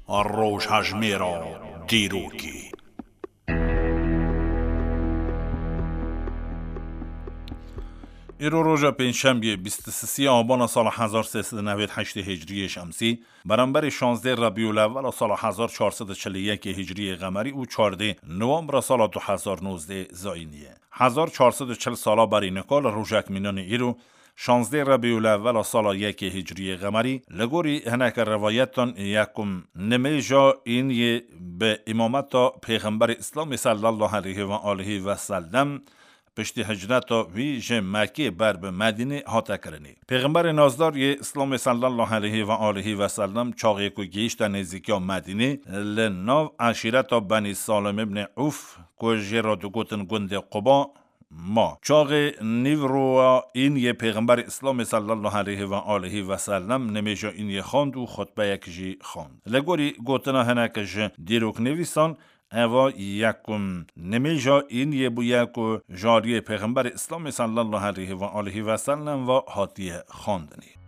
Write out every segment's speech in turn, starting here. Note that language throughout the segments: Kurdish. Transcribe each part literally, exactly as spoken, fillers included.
Rojhejmêra dîrokê. Îro roja pêncşembiyê, bîst û sisê abana sala hezar sê sed û newêd heştê hicriyê şemsî, beramberî şazdê Rebîul Ewwela sala hezar çar sed û çil û yekê hicriyê qemerî û çardê nowembra sala du hezar nozdeh zayînî ye. Hezar çar sed û çil sala berî nika li rojek mînanê îro, şazdê Rebîul Ewwela sala yekê hicriyê qemerî, li gorî hineke rivayetan yekum nimêja îniyê bi îmameta Pêxemberê Îslamê sallallahu aleyhi ve aleyhi ve sellem piştî hicreta wî ji Mekkê ber bi Medînê hate kirinê. Pêxemberê nazdar yê Îslamê sallallahu aleyhi ve aleyhi ve sellem çaxê ku gihîşte nêzîkiya Medînê, li nav eşîreta Benî Salim ibn Uf, ku jê re digotin gundê Quba, ma. Çaxê nîvroya îniyê Pêxemberê Îslamê sallallahu aleyhi ve aleyhi ve sellem nimêja îniyê xwend û xutbeyek jî xwend. Li gorî gotina hinek ji dîroknivîsan, eva yekum nimêja îniyê bûye ku ji aliyê Pêxemberê Îslamê sallallahu aleyhi ve aleyhi ve sellem ve hatiye xwendinê.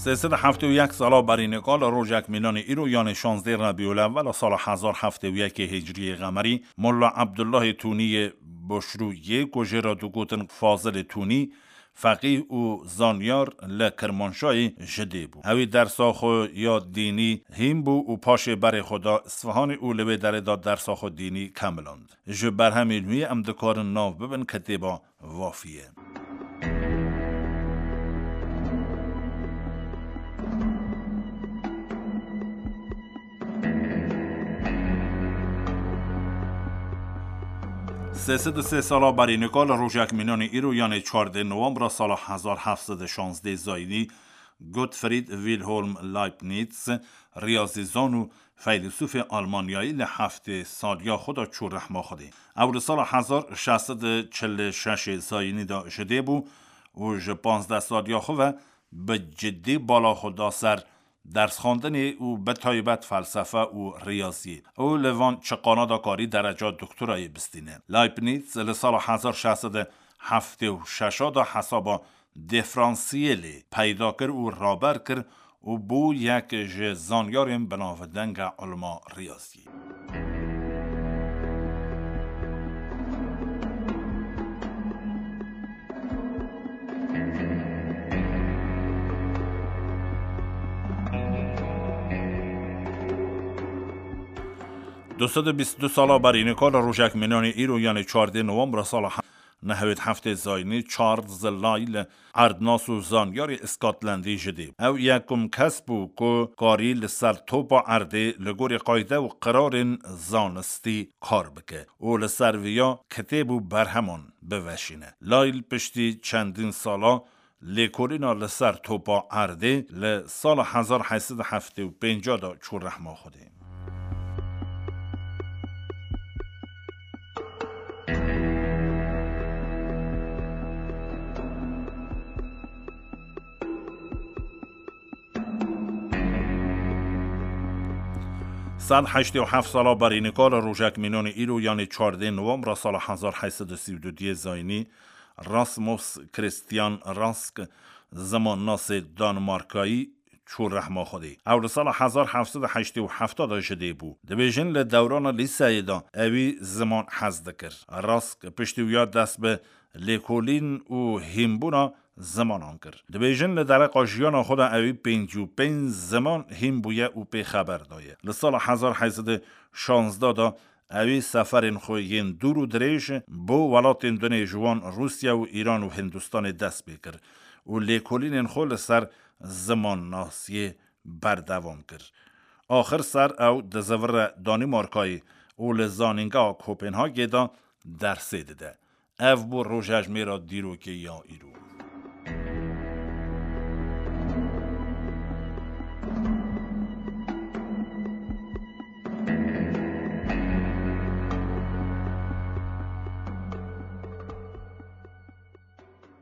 Sê sed û heftê û yek sala berî nika li rojek mînanê îro, yanê şazdê Rebîul Ewwel a sala hezar heftê û yekê hicriyê qemerî, Molla Abdullahê Tûnî yê Boşrû yê ku jê re digotin Fazilê Tûnî, feqîh û zanyar li Kirmanşahê ji dê bû. Ew ê dersa xwe ya dînî hîn bû û paşê berê xwe da Isfihanê û li wê derê de dersa xwe dînî kemiland. Ji berhemên wî em dikarin nav bibin kitêba Vafiye. Sê sed û sê sala berî nika li rojek mînanê îro, yanê çardê nowembra sala hezar heft sed û şazdeh zayînî, Gottfried Wilhelm Leibniz, riyazîzan û feylesûfê Almanyayî, li heftê saliya xwe de çû rehma Xwedê. Ew li sala hezar şeş sed û çil û şeş zayînî de ji dê bû û ji panzdeh saliya xwe ve bi cidî bala xwe da ser dersxwendinê û bi taybet felsefe û riyaziyê. Û li van çiqana de karî dereca doktorayê bistîne. Leibniz li sala hezar şeş sed û heftê û şeş de hesaba dîferansiyelê peyda kir û raber kir û bû yek ji zanyarên binavdeng a ilma riyaziyê. Du sed û bîst û du sala berî nika li rojek mînanê îro, yanê çardê nowembra sala nehwêd heftê zayînî, Charles Lyell, erdnas û zanyarê Scotlandî ji dê. Ew yekum kes bû ku karî li ser topa erdê li gorî qayde û qirarên zanistî kar bike û li ser viya kitêb û berheman biveşîne. Lyell piştî çendîn sala lêkolîna li ser topa erdê li sala hezar heşt sed û heftê û pênc de çû rehma Xwedê. Sed heştê û heft sala berî nika li rojek mînanê îro, yanê çardê nowembra sala hezar heşt sed û sî û du diyê zayînî, Rasmus Christian Rask, zimannasê Danmarkayî, çû rehma Xwedê. Ew li sala hezar heft sed û heştê û heft de ji dê bû. Dibêjin li dewrana lîseyê de ewî ziman hez dikir. Rask piştî wiya dest bi lêkolîn û hînbûna zimanan kir. Dibêjin li dereqa jiyana xwe de ewî pêncî û pênc ziman hîn bûye û pê xeber daye. Li sala hezar heşt sed û şazdeh de ewî seferên xwe yên dûr û dirêj bo welatên dinê, ji wan Rûsya û Îran û Hindistanê dest pê kir û lêkolînên xwe li ser zimannasiyê berdewam kir. Axir ser ew dizivire Danîmarkayê û li zanîngeha Kopenhagê de dersê dide. Ev bû rojejmêra dîrokê ya îro.